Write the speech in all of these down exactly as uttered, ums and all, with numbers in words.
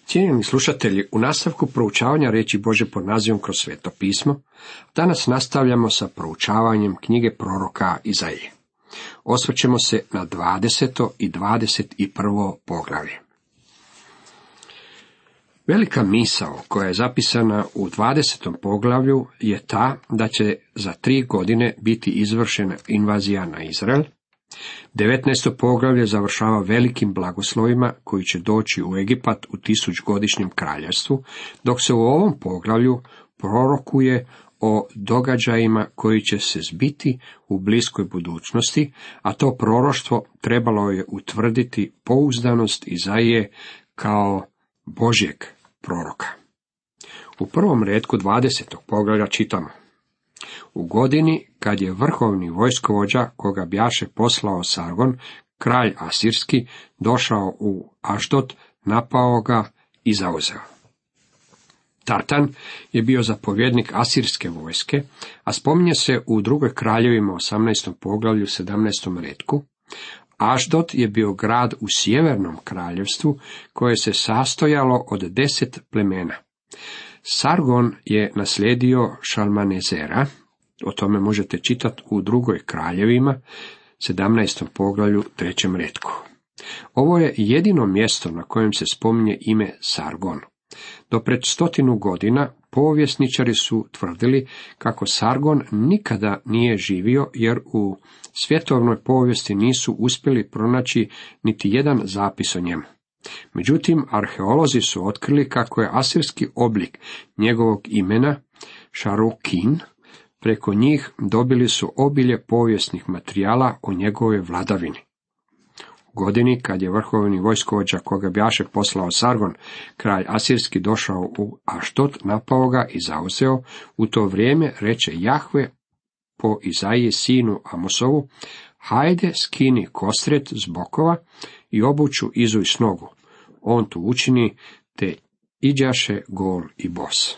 Cijenjeni slušatelji, u nastavku proučavanja riječi Božje pod nazivom Kroz sveto pismo, danas nastavljamo sa proučavanjem knjige proroka Izaije. Osvrćemo se na dvadeseto i dvadeset prvo poglavlje. Velika misao koja je zapisana u dvadesetom poglavlju je ta da će za tri godine biti izvršena invazija na Izrael. devetnaesto poglavlje završava velikim blagoslovima koji će doći u Egipat u tisućgodišnjem kraljevstvu, dok se u ovom poglavlju prorokuje o događajima koji će se zbiti u bliskoj budućnosti, a to proroštvo trebalo je utvrditi pouzdanost Izaije kao Božjeg proroka. U prvom retku dvadesetog poglavlja čitamo: U godini kad je vrhovni vojskovođa, koga bjaše poslao Sargon, kralj Asirski, došao u Ašdod, napao ga i zauzeo. Tartan je bio zapovjednik asirske vojske, a spominje se u drugoj kraljevima osamnaestom poglavlju sedamnaestom retku. Ašdod je bio grad u sjevernom kraljevstvu koje se sastojalo od deset plemena. Sargon je naslijedio Šalmanezera, o tome možete čitati u drugoj kraljevima, sedamnaestom poglavlju, trećem retku. Ovo je jedino mjesto na kojem se spominje ime Sargon. Do pred stotinu godina povjesničari su tvrdili kako Sargon nikada nije živio, jer u svjetovnoj povijesti nisu uspjeli pronaći niti jedan zapis o njemu. Međutim, arheolozi su otkrili kako je asirski oblik njegovog imena Šarukin. Preko njih dobili su obilje povijesnih materijala o njegovoj vladavini. U godini kad je vrhovni vojskovođa, koga bjaše poslao Sargon, kralj Asirski, došao u Ašdod, napao ga i zauzeo, u to vrijeme reče Jahve po Izaiji sinu Amosovu: Hajde, skini kostret s bokova i obuću izuj s nogu. On tu učini, te iđaše gol i bos.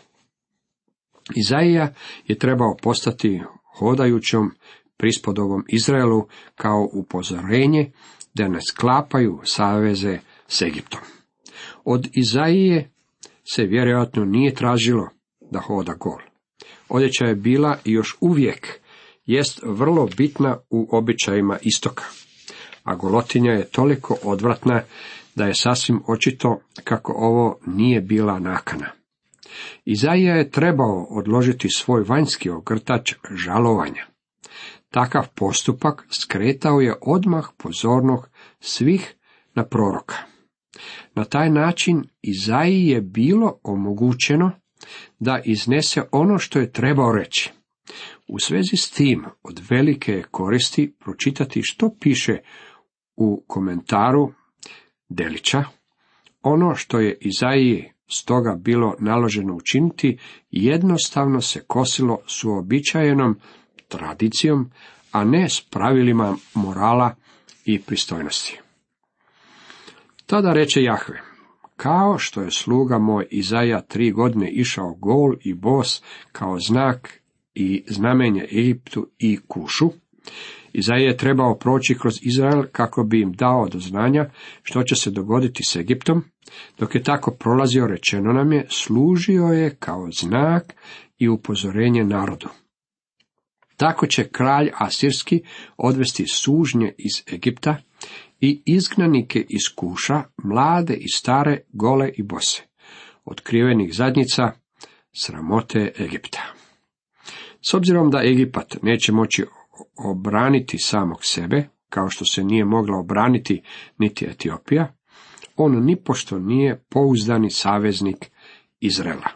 Izaija je trebao postati hodajućom prispodobom Izraelu kao upozorenje da ne sklapaju saveze s Egiptom. Od Izaije se vjerojatno nije tražilo da hoda gol. Odjeća je bila i još uvijek jest vrlo bitna u običajima istoka, a golotinja je toliko odvratna da je sasvim očito kako ovo nije bila nakana. Izaija je trebao odložiti svoj vanjski ogrtač žalovanja. Takav postupak skretao je odmah pozornost svih na proroka. Na taj način Izaiji je bilo omogućeno da iznese ono što je trebao reći. U svezi s tim od velike je koristi pročitati što piše u komentaru Delića. Ono što je Izaiji stoga bilo naloženo učiniti jednostavno se kosilo s uobičajenom tradicijom, a ne s pravilima morala i pristojnosti. Tada reče Jahve: Kao što je sluga moj Izaija tri godine išao gol i bos kao znak i znamenje Egiptu i Kušu, Izaija je trebao proći kroz Izrael kako bi im dao do znanja što će se dogoditi s Egiptom. Dok je tako prolazio, rečeno nam je, služio je kao znak i upozorenje narodu. Tako će kralj Asirski odvesti sužnje iz Egipta i izgnanike iz Kuša, mlade i stare, gole i bose, otkrivenih zadnjica, sramote Egipta. S obzirom da Egipat neće moći obraniti samog sebe, kao što se nije mogla obraniti niti Etiopija, on nipošto nije pouzdani saveznik Izraela.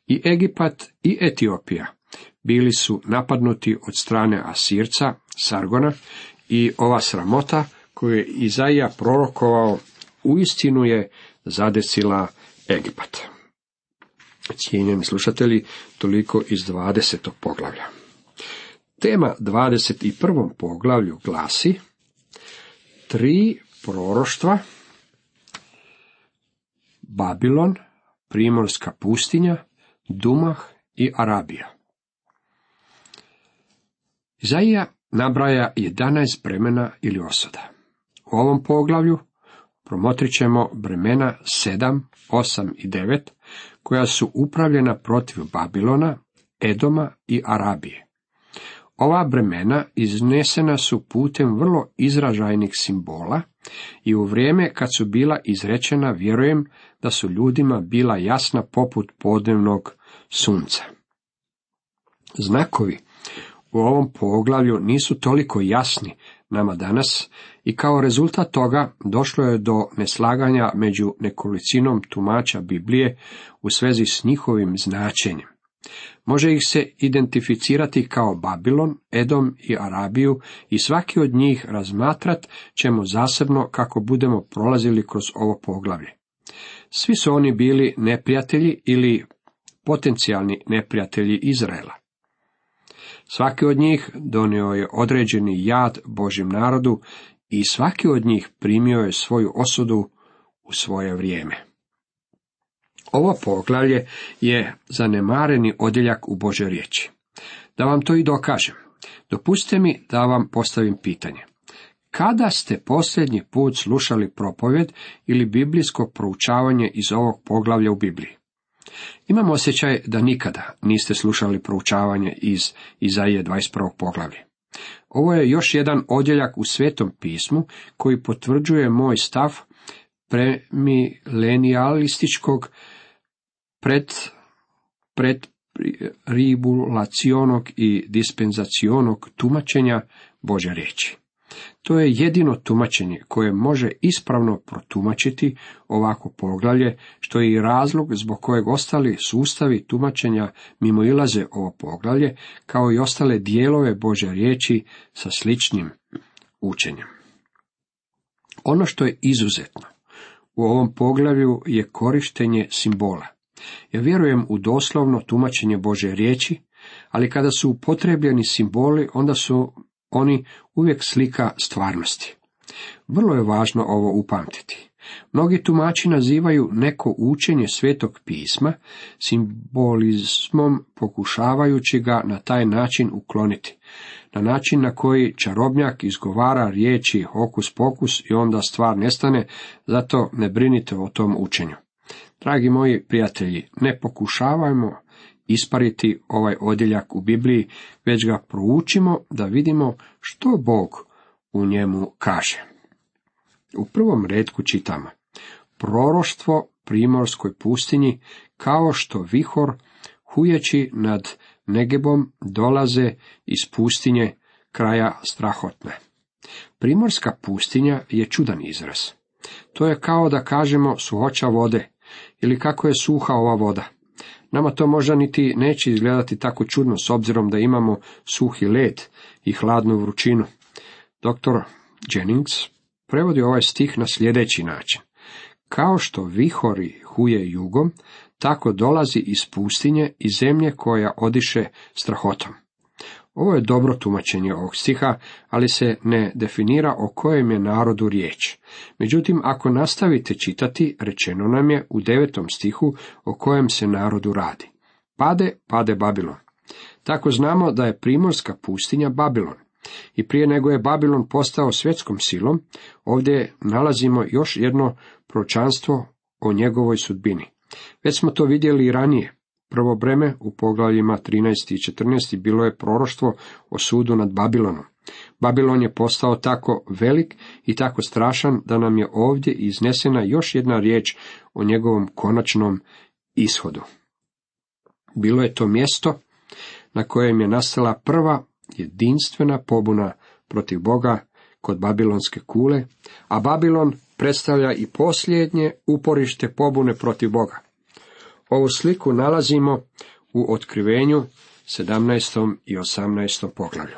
I Egipat i Etiopija bili su napadnuti od strane Asirca, Sargona, i ova sramota koju je Izaija prorokovao uistinu je zadesila Egipat. Cijenjeni slušatelji, toliko iz dvadesetog poglavlja. Tema dvadeset prvom poglavlju glasi: Tri proroštva, Babilon, primorska pustinja, Dumah i Arabija. Izaija nabraja jedanaest bremena ili osuda. U ovom poglavlju promotrit ćemo bremena sedam, osam i devet, koja su upravljena protiv Babilona, Edoma i Arabije. Ova bremena iznesena su putem vrlo izražajnih simbola i u vrijeme kad su bila izrečena vjerujem da su ljudima bila jasna poput podnevnog sunca. Znakovi u ovom poglavlju nisu toliko jasni nama danas i kao rezultat toga došlo je do neslaganja među nekolicinom tumača Biblije u svezi s njihovim značenjem. Može ih se identificirati kao Babilon, Edom i Arabiju i svaki od njih razmatrat ćemo zasebno kako budemo prolazili kroz ovo poglavlje. Svi su oni bili neprijatelji ili potencijalni neprijatelji Izraela. Svaki od njih donio je određeni jad Božjem narodu i svaki od njih primio je svoju osudu u svoje vrijeme. Ovo poglavlje je zanemareni odjeljak u Božoj riječi. Da vam to i dokažem, dopustite mi da vam postavim pitanje. Kada ste posljednji put slušali propovjed ili biblijsko proučavanje iz ovog poglavlja u Bibliji? Imam osjećaj da nikada niste slušali proučavanje iz Izaije dvadeset prvog poglavlja. Ovo je još jedan odjeljak u Svetom pismu koji potvrđuje moj stav premilenijalističkog pred, pred tribulacionog i dispenzacionog tumačenja Božje riječi. To je jedino tumačenje koje može ispravno protumačiti ovako poglavlje, što je i razlog zbog kojeg ostali sustavi tumačenja mimoilaze ovo poglavlje, kao i ostale dijelove Božje riječi sa sličnim učenjem. Ono što je izuzetno u ovom poglavlju je korištenje simbola. Ja vjerujem u doslovno tumačenje Božje riječi, ali kada su upotrebljeni simboli, onda su oni uvijek slika stvarnosti. Vrlo je važno ovo upamtiti. Mnogi tumači nazivaju neko učenje Svetog pisma simbolizmom, pokušavajući ga na taj način ukloniti, na način na koji čarobnjak izgovara riječi hokus pokus i onda stvar nestane, zato ne brinite o tom učenju. Dragi moji prijatelji, ne pokušavajmo ispariti ovaj odjeljak u Bibliji, već ga proučimo da vidimo što Bog u njemu kaže. U prvom retku čitamo: proroštvo primorskoj pustinji, kao što vihor hujeći nad Negebom dolaze iz pustinje kraja strahotne. Primorska pustinja je čudan izraz. To je kao da kažemo suhoća vode, ili kako je suha ova voda. Nama to možda niti neće izgledati tako čudno s obzirom da imamo suhi led i hladnu vrućinu. Doktor Jennings prevodi ovaj stih na sljedeći način: kao što vihori huje jugom, tako dolazi iz pustinje i zemlje koja odiše strahotom. Ovo je dobro tumačenje ovog stiha, ali se ne definira o kojem je narodu riječ. Međutim, ako nastavite čitati, rečeno nam je u devetom stihu o kojem se narodu radi. Pade, pade Babilon. Tako znamo da je primorska pustinja Babilon. I prije nego je Babilon postao svjetskom silom, ovdje nalazimo još jedno proročanstvo o njegovoj sudbini. Već smo to vidjeli i ranije. Prvo breme u poglavljima trinaest i četrnaest bilo je proroštvo o sudu nad Babilonom. Babilon je postao tako velik i tako strašan da nam je ovdje iznesena još jedna riječ o njegovom konačnom ishodu. Bilo je to mjesto na kojem je nastala prva jedinstvena pobuna protiv Boga kod Babilonske kule, a Babilon predstavlja i posljednje uporište pobune protiv Boga. Ovu sliku nalazimo u Otkrivenju sedamnaestom i osamnaestom poglavlju.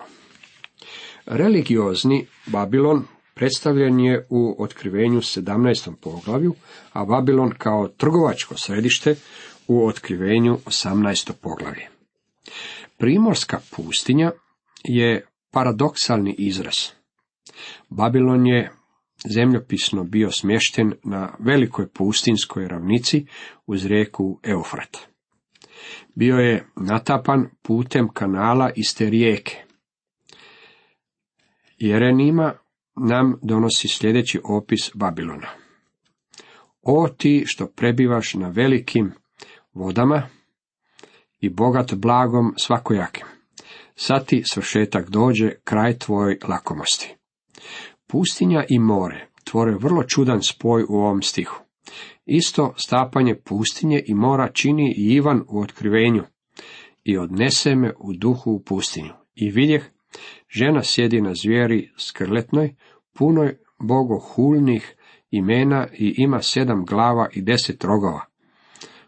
Religiozni Babilon predstavljen je u Otkrivenju sedamnaestom poglavlju, a Babilon kao trgovačko središte u Otkrivenju osamnaestom poglavlju. Primorska pustinja je paradoksalni izraz. Babilon je zemljopisno bio smješten na velikoj pustinskoj ravnici uz rijeku Eufrat. Bio je natapan putem kanala iz te rijeke. Jerenima nam donosi sljedeći opis Babilona. O ti što prebivaš na velikim vodama i bogat blagom svakojakim, sad ti svršetak dođe, kraj tvojoj lakomosti. Pustinja i more tvore vrlo čudan spoj u ovom stihu. Isto stapanje pustinje i mora čini i Ivan u otkrivenju. I odnese me u duhu u pustinju. I vidjeh, žena sjedi na zvijeri skrletnoj, punoj bogohulnih imena i ima sedam glava i deset rogova.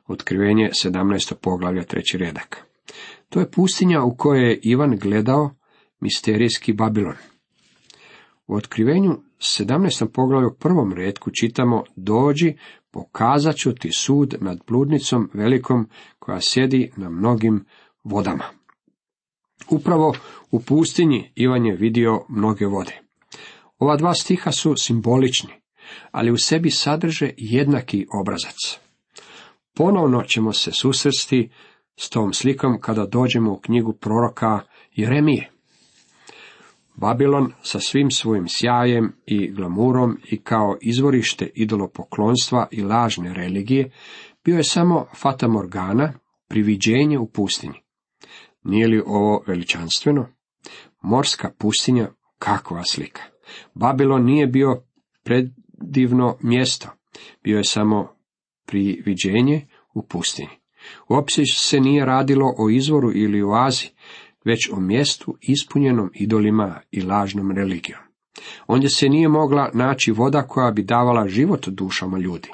Otkrivenje sedamnaesto poglavlja, treći redak. To je pustinja u kojoj je Ivan gledao misterijski Babilon. U otkrivenju sedamnaestom poglavlju prvom retku čitamo: dođi, pokazat ću ti sud nad bludnicom velikom koja sjedi na mnogim vodama. Upravo u pustinji Ivan je vidio mnoge vode. Ova dva stiha su simbolični, ali u sebi sadrže jednaki obrazac. Ponovno ćemo se susresti s tom slikom kada dođemo u knjigu proroka Jeremije. Babilon sa svim svojim sjajem i glamurom i kao izvorište idolopoklonstva i lažne religije bio je samo fatamorgana, priviđenje u pustinji. Nije li ovo veličanstveno? Morska pustinja, kakva slika! Babilon nije bio predivno mjesto, bio je samo priviđenje u pustinji. Uopće se nije radilo o izvoru ili oazi, već o mjestu ispunjenom idolima i lažnom religijom. Ondje se nije mogla naći voda koja bi davala život dušama ljudi.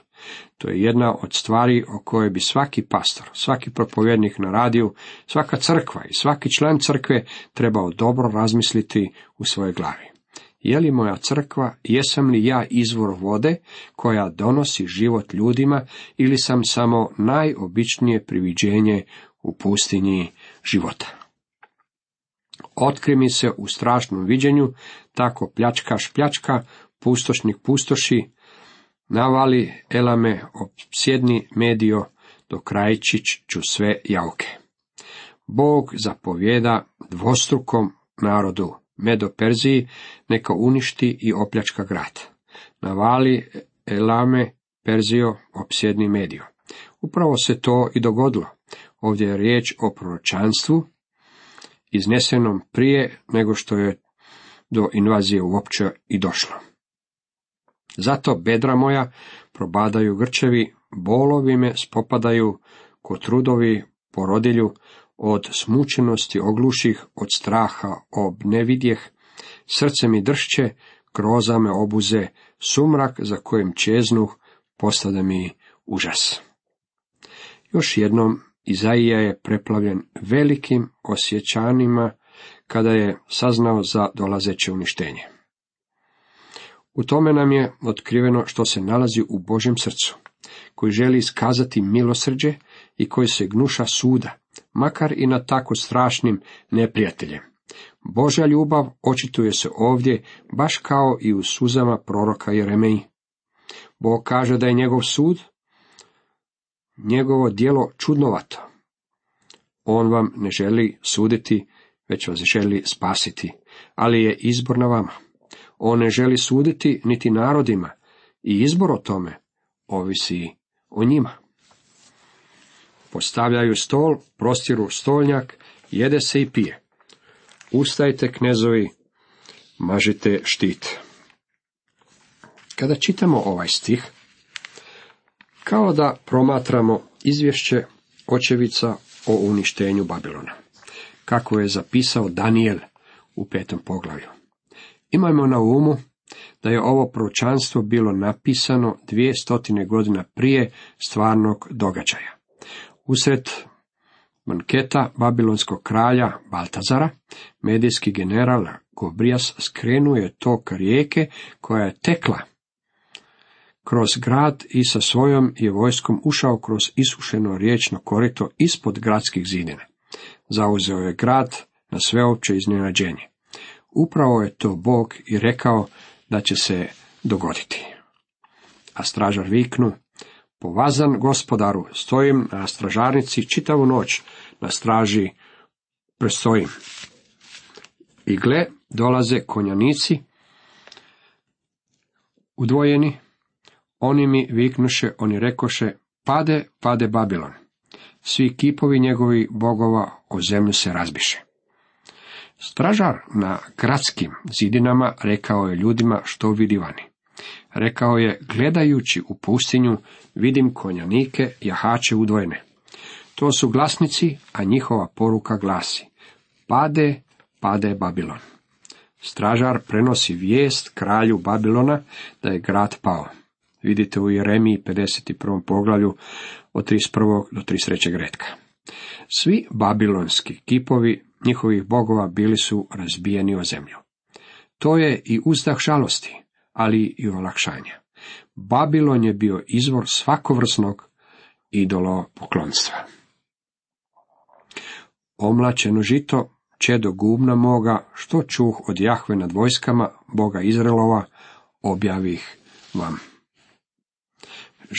To je jedna od stvari o kojoj bi svaki pastor, svaki propovjednik na radiju, svaka crkva i svaki član crkve trebao dobro razmisliti u svojoj glavi. Je li moja crkva, jesam li ja izvor vode koja donosi život ljudima ili sam samo najobičnije priviđenje u pustinji života? Otkri mi se u strašnom viđenju, tako pljačkaš pljačka, pustošnik pustoši, navali elame, opsjedni medio, do krajčić ću sve jauke. Bog zapovjeda dvostrukom narodu, Medo Perziji, neka uništi i opljačka grad. Navali elame, Perzio, opsjedni medio. Upravo se to i dogodilo. Ovdje je riječ o proročanstvu, iznesenom prije nego što je do invazije uopće i došlo. Zato bedra moja probadaju grčevi, bolovi me spopadaju ko trudovi porodilju, od smučenosti ogluših, od straha obnevidjeh, srce mi dršće, groza me obuze, sumrak za kojim čeznuh postade mi užas. Još jednom Izaija je preplavljen velikim osjećanjima kada je saznao za dolazeće uništenje. U tome nam je otkriveno što se nalazi u Božjem srcu, koji želi iskazati milosrđe i koji se gnuša suda, makar i na tako strašnim neprijateljem. Božja ljubav očituje se ovdje baš kao i u suzama proroka Jeremiji. Bog kaže da je njegov sud, njegovo djelo čudnovato. On vam ne želi suditi, već vas želi spasiti, ali je izbor na vama. On ne želi suditi niti narodima i izbor o tome ovisi o njima. Postavljaju stol, prostiru stolnjak, jede se i pije. Ustajte, knezovi, mažite štit. Kada čitamo ovaj stih, kao da promatramo izvješće očevica o uništenju Babilona, kako je zapisao Danijel u petom poglavlju. Imajmo na umu da je ovo proročanstvo bilo napisano dvije stotine godina prije stvarnog događaja. Usred banketa babilonskog kralja Baltazara, medijski general Gobrijas skrenuo je tok rijeke koja je tekla kroz grad i sa svojom je vojskom ušao kroz isušeno riječno korito ispod gradskih zidina. Zauzeo je grad na sveopće iznenađenje. Upravo je to Bog i rekao da će se dogoditi. A stražar viknu: povazan gospodaru, stojim na stražarnici čitavu noć, na straži prestojim. I gle, dolaze konjanici udvojeni, Oni mi viknuše, oni rekoše, pade, pade Babilon. Svi kipovi njegovih bogova o zemlju se razbiše. Stražar na gradskim zidinama rekao je ljudima što vidi vani. Rekao je, gledajući u pustinju, vidim konjanike, jahače udvojene. To su glasnici, a njihova poruka glasi, pade, pade Babilon. Stražar prenosi vijest kralju Babilona da je grad pao. Vidite u Jeremiji pedeset prvom poglavlju od trideset prvog do trideset trećeg retka. Svi babilonski kipovi njihovih bogova bili su razbijeni o zemlju. To je i uzdah žalosti, ali i olakšanja. Babilon je bio izvor svakovrsnog idolopoklonstva. Omlačeno žito, čedo gubna moga, što čuh od Jahve nad vojskama, Boga Izraelova, objavih vam.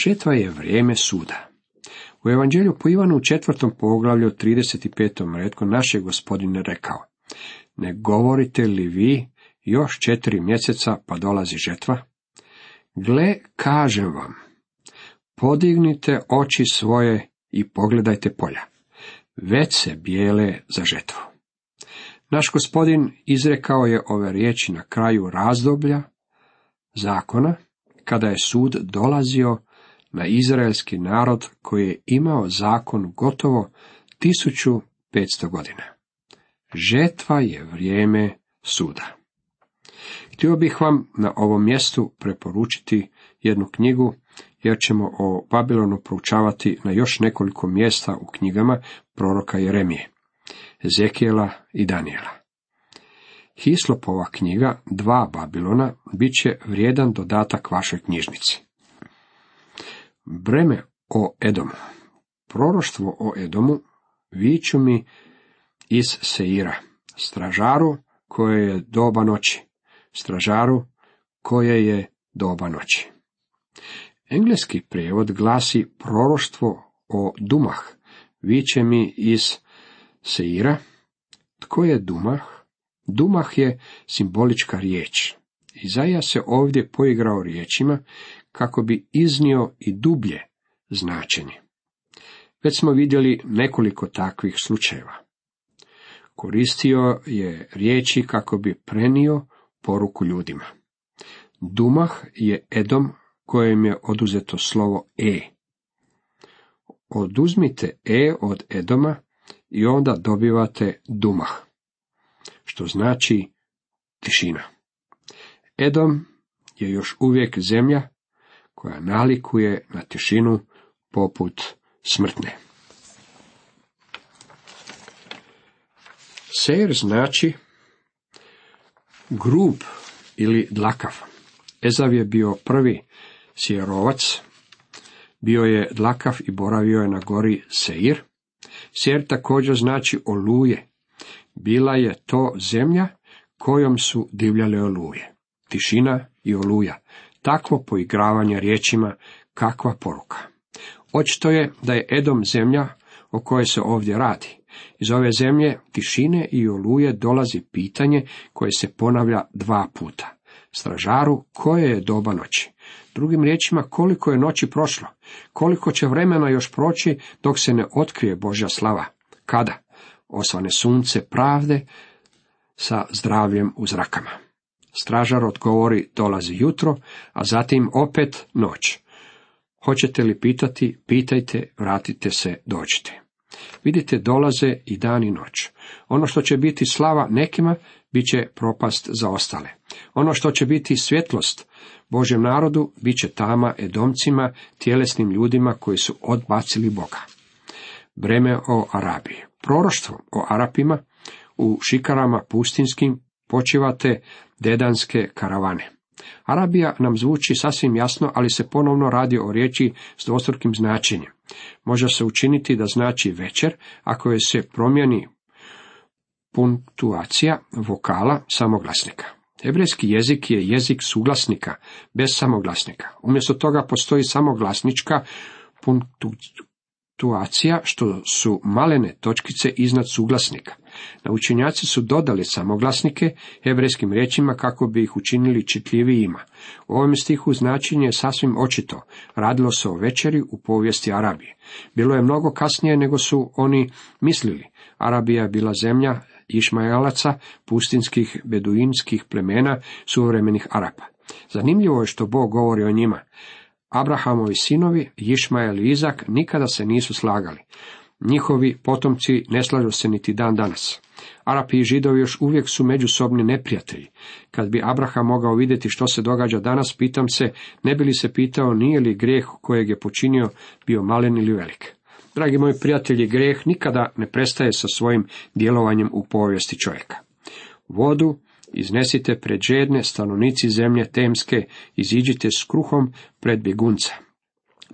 Žetva je vrijeme suda. U Evanđelju po Ivanu u četvrtom poglavlju trideset petom retku naš je Gospodin rekao, ne govorite li vi još četiri mjeseca pa dolazi žetva? Gle, kažem vam, podignite oči svoje i pogledajte polja, već se bijele za žetvu. Naš Gospodin izrekao je ove riječi na kraju razdoblja zakona, kada je sud dolazio na izraelski narod koji je imao zakon gotovo tisuću petsto godina. Žetva je vrijeme suda. Htio bih vam na ovom mjestu preporučiti jednu knjigu, jer ćemo o Babilonu proučavati na još nekoliko mjesta u knjigama proroka Jeremije, Ezekijela i Danijela. Hislopova knjiga Dva Babilona bit će vrijedan dodatak vašoj knjižnici. Breme o Edomu. Proroštvo o Edomu viču mi iz Seira, stražaru koje je doba noći, stražaru koje je doba noći. Engleski prijevod glasi proroštvo o Dumah, viče mi iz Seira. Tko je Dumah? Dumah je simbolička riječ. Izaija se ovdje poigrao riječima kako bi iznio i dublje značenje. Već smo vidjeli nekoliko takvih slučajeva. Koristio je riječi kako bi prenio poruku ljudima. Dumah je Edom kojem je oduzeto slovo E. Oduzmite E od Edoma i onda dobivate Dumah, što znači tišina. Edom je još uvijek zemlja koja nalikuje na tišinu poput smrtne. Seir znači grub ili dlakav. Ezav je bio prvi Seirovac, bio je dlakav i boravio je na gori Seir. Seir također znači oluje. Bila je to zemlja kojom su divljale oluje. Tišina i oluja. Takvo poigravanje riječima, kakva poruka. Očito je da je Edom zemlja o kojoj se ovdje radi. Iz ove zemlje tišine i oluje dolazi pitanje koje se ponavlja dva puta. Stražaru, koje je doba noći? Drugim riječima, koliko je noći prošlo? Koliko će vremena još proći dok se ne otkrije Božja slava? Kada? Osvane sunce pravde sa zdravljem u zrakama. Stražar odgovori, dolazi jutro, a zatim opet noć. Hoćete li pitati? Pitajte, vratite se, dođite. Vidite, dolaze i dan i noć. Ono što će biti slava nekima, bit će propast za ostale. Ono što će biti svjetlost Božjem narodu, bit će tama Edomcima, tjelesnim ljudima koji su odbacili Boga. Breme o Arabiji. Proroštvo o Arapima u šikarama pustinskim počivate dedanske karavane. Arabija nam zvuči sasvim jasno, ali se ponovno radi o riječi s dvostrukim značenjem. Može se učiniti da znači večer, ako je se promijeni punktuacija vokala samoglasnika. Hebrejski jezik je jezik suglasnika, bez samoglasnika. Umjesto toga postoji samoglasnička punktuacija, što su malene točkice iznad suglasnika. Naučenjaci su dodali samoglasnike hebrejskim riječima kako bi ih učinili čitljivijima. U ovom stihu značenje je sasvim očito. Radilo se o večeri u povijesti Arabije. Bilo je mnogo kasnije nego su oni mislili. Arabija je bila zemlja Išmaelaca, pustinskih beduinskih plemena suvremenih Arapa. Zanimljivo je što Bog govori o njima. Abrahamovi sinovi, Išmael i Izak, nikada se nisu slagali. Njihovi potomci ne slažu se niti dan danas. Arapi i Židovi još uvijek su međusobni neprijatelji. Kad bi Abraham mogao vidjeti što se događa danas, pitam se, ne bi li se pitao nije li grijeh kojeg je počinio bio malen ili velik. Dragi moji prijatelji, grijeh nikada ne prestaje sa svojim djelovanjem u povijesti čovjeka. Vodu iznesite pred žedne, stanovnici zemlje temske, iziđite s kruhom pred bjegunca.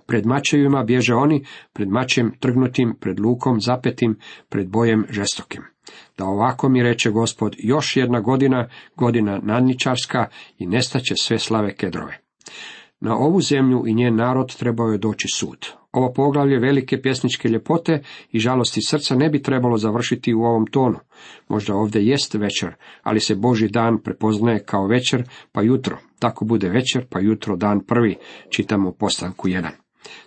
Pred mačevima bježe oni, pred mačem trgnutim, pred lukom zapetim, pred bojem žestokim. Da ovako mi reče Gospod, još jedna godina, godina nadničarska i nestaće sve slave Kedrove. Na ovu zemlju i njen narod trebao je doći sud. Ovo poglavlje velike pjesničke ljepote i žalosti srca ne bi trebalo završiti u ovom tonu. Možda ovdje jest večer, ali se Božji dan prepoznaje kao večer pa jutro. Tako bude večer pa jutro dan prvi, čitamo u Postanku jedan.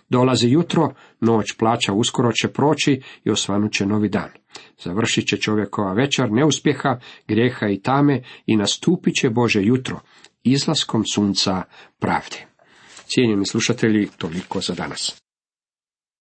Dolazi jutro, noć plaća uskoro će proći i osvanut će novi dan. Završit će čovjekova večer neuspjeha, grijeha i tame i nastupit će Bože jutro, izlaskom sunca pravde. Cijenjeni slušatelji, toliko za danas.